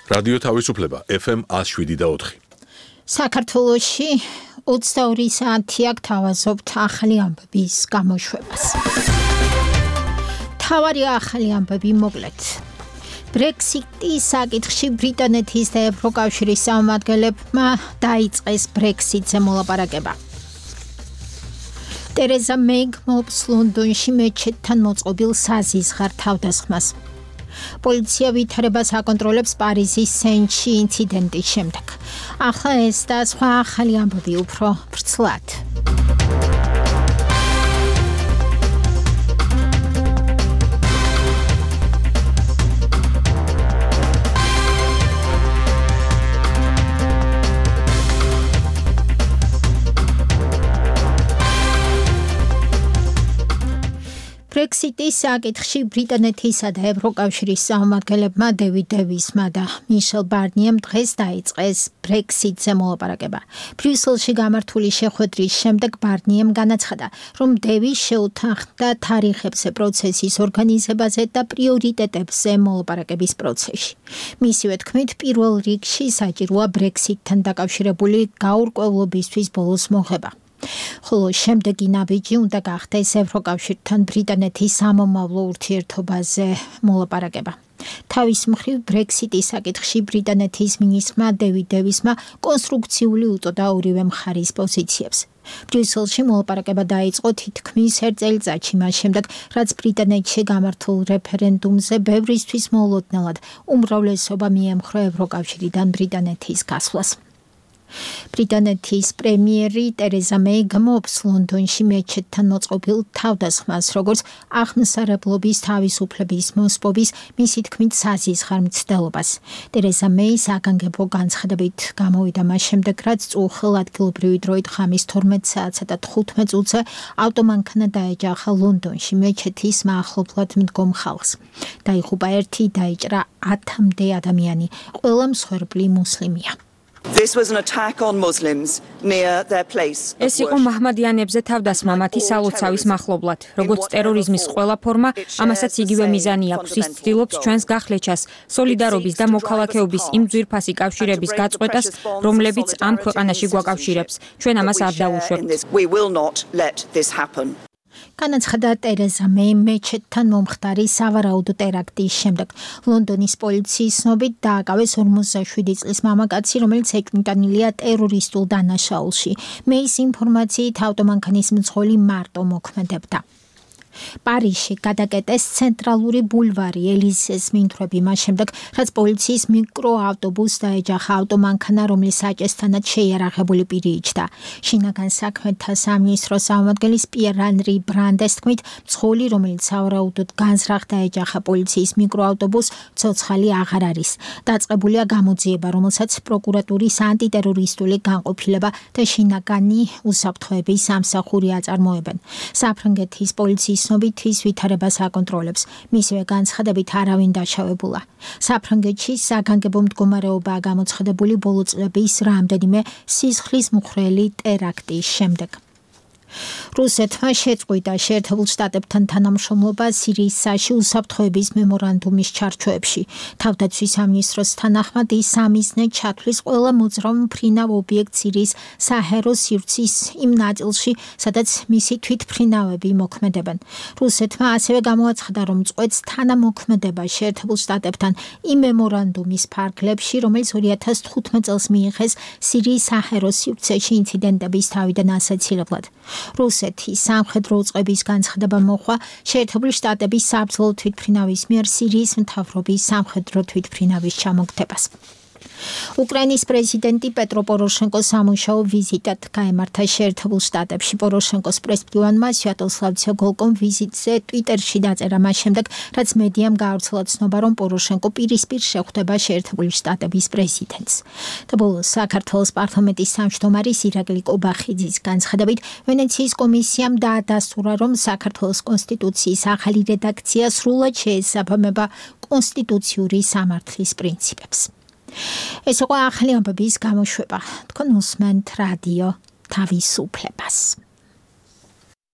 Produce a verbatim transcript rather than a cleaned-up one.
რადიო თავისუფლება ეფ ემ one oh seven და four. საქართველოში ოცდაორი საათი აქ თავაზობთ ახალი ამბების გამოშვებას. თავარი ახალი ამბები მოკლედ. ბრექსიტის საკითხში ბრიტანეთის და ევროკავშირის წარმომადგენლებმა დაიწყეს ბრექსიტზე მოლაპარაკება. ტერეზა მეი გმობს ლონდონში მეჩეთთან მოწყობილ საზისხარ თავდასხმას. პოლიცია ვითარებას აკონტროლებს პარიზის სენში ინციდენტის შემდეგ. ახლა ეს და სხვა ახალი ამბები უფრო ვრცლად. ბრექსიტის საკითხში ბრიტანეთისა და ევროკავშირის წარმომადგენლებმა დევიდ დევისმა და მიშელ ბარნიემ დღეს დაიწყეს ბრექსიტზე მოლაპარაკება. ბრიუსელში გამართული შეხვედრის შემდეგ ბარნიემ განაცხადა, რომ დევის შეუთანხმდა თარიღებზე პროცესის ორგანიზებაზე და პრიორიტეტებზე მოლაპარაკების პროცესში. მისივე თქმით, პირველ რიგში საჭიროა ბრექსიტთან დაკავშირებული გაურკვევლობისთვის ბოლოს მოღება. ხოლო შემდეგი ნაბიჯი უნდა გახდეს ევროკავშირთან ბრიტანეთის სამომავლო ურთიერთობაზე მოლაპარაკება. თავის მხრივ ბრექსიტის საკითხში ბრიტანეთის მინისტრმა დევიდ დევისმა კონსტრუქციული უწოდა ორივე მხარის პოზიციებს. ბრიუსელში მოლაპარაკება დაიწყო თითქმის ერთ წელიწადში მას შემდეგ, რაც ბრიტანეთში გამართულ რეფერენდუმზე ბევრისთვის მოულოდნელად უმრავლესობა მიემხრო ევროკავშირიდან ბრიტანეთის გასვლას. ბრიტანეთის პრემიერი ტერეზა მეი გმობს ლონდონში მეჩეთთან მოწყობილ თავდასხმას, როგორც აღმსარებლობის თავისუფლების მოსპობის, მისი თქმით საზისხარ მცდელობას. ტერეზა მეი საგანგებო განცხადებით გამოვიდა მას შემდეგ, რაც წუხელ ადგილობრივი დროით ღამის თორმეტ საათსა და თხუთმეტ წუთზე ავტომანქანა დაეჯახა ლონდონში მეჩეთის მახლობლად მდგომ ხალხს. დაიღუპა ერთი, დაიჭრა ათამდე ადამიანი, ყველა მსხვერპლი მუსლიმია. This was an attack on Muslims near their place. ეს იყო მაჰმადიანებზე თავდასხმა მათი სალოცავის მახლობლად. როგორც ტერორიზმის ყველა ფორმა, ამასაც იგივე მიზანი აქვს. ის ცდილობს ჩვენს გახლეჩას, სოლიდარობის და მოქალაქეობის იმ ძვირფასი კავშირების გაწყვეტას, რომლებიც ამ ქვეყანაში გვაკავშირებს. ჩვენ ამას არ დავუშვებთ. We will not let this happen. განაცხადა ტერეზა მეი მეჩეთთან მომხდარი სავარაუდო ტერაქტის შემდეგ. ლონდონის პოლიციის ცნობით დააკავეს ორმოცდაშვიდი წლის მამაკაცი, რომელიც ეკმიტანილია ტერორისტულ დანაშაულში. მეის ინფორმაციით ავტომანქანის მძღოლი მარტო მოქმედებდა. პარიზში გადაკეტეს ცენტრალური ბულვარი ელიზეს მინთვრები მას შემდეგ, რაც პოლიციის მიკროავტობუსს დაეჯახა ავტომანქანა, რომლის საჭესთანაც შეიარაღებული პირი იჯდა. შინაგან საქმეთა სამინისტროს წარმომადგენლის პიერ ანრი ბრანდეს თქმით, მძღოლი, რომელიც სავარაუდოდ განზრახ დაეჯახა პოლიციის მიკროავტობუსს, ცოცხალი აღარ არის. დაწყებულია გამოძიება, რომელსაც პროკურატურის ანტიტერორისტული განყოფილება და შინაგანი უსაფრთხოების სამსახური აწარმოებენ. საფრანგეთის პოლიციის ცნობით ის ვითარებას აკონტროლებს. მისივე განცხადებით არავინ დაშავებულა. საფრანგეთში საგანგებო მდგომარეობაა გამოცხადებული ბოლო წლების რამდენიმე სისხლის მხვრელი ტერაქტის შემდეგ. რუსეთმა შეწყვიტა შეერთებულ შტატებთან თანამშრომლობა სირიის საში უსაფრთხოების მემორანდუმის ჩარჩოებში. თავდაცვის სამინისტროს თანახმად ის სამიზნედ ჩათვლის ყველა მოძრავ მფრინავ ობიექტს სირიის საჰაერო სივრცის იმ ნაწილში, სადაც მისი თვითმფრინავები მოქმედებენ. რუსეთმა ასევე გამოაცხადა, რომ წყვეტს თანამოქმედება შეერთებულ შტატებთან იმ მემორანდუმის ფარგლებში, რომელიც ორი ათას თხუთმეტ წელს მიიღეს სირიის საჰაერო სივრცეში ინციდენტების თავიდან ასაცილებლად. რუსეთის სამხედრო უწყების განცხადება მოხვა შეერთებული შტატების საბრძოლო თვითმფრინავის მიერ სირიის მთავრობის სამხედრო თვითმფრინავის ჩამოგდებას. უკრაინის პრეზიდენტი პეტრო პოროშენკო სამუშაო ვიზიტად გაემართა შეერთებულ შტატებში. პოროშენკოს პრესმდივანმა სვიატოსლავ ცეგოლკომ ვიზიტზე ტვიტერში დაწერა მას შემდეგ, რაც მედიამ გაავრცელა ცნობა, რომ პოროშენკო პირისპირ შეხვდება შეერთებული შტატების პრეზიდენტს. და ბოლოს საქართველოს პარლამენტის თავმჯდომარის ირაკლი კობახიძის განცხადებით, ვენეციის კომისიამ დაადასტურა, რომ საქართველოს კონსტიტუციის ახალი რედაქცია სრულად შეესაბამება კონსტიტუციური სამართლის პრინციპებს. ეს იყო ახალი ამბების გამოშვება. თქვენ უსმენთ რადიო თავისუფლებას.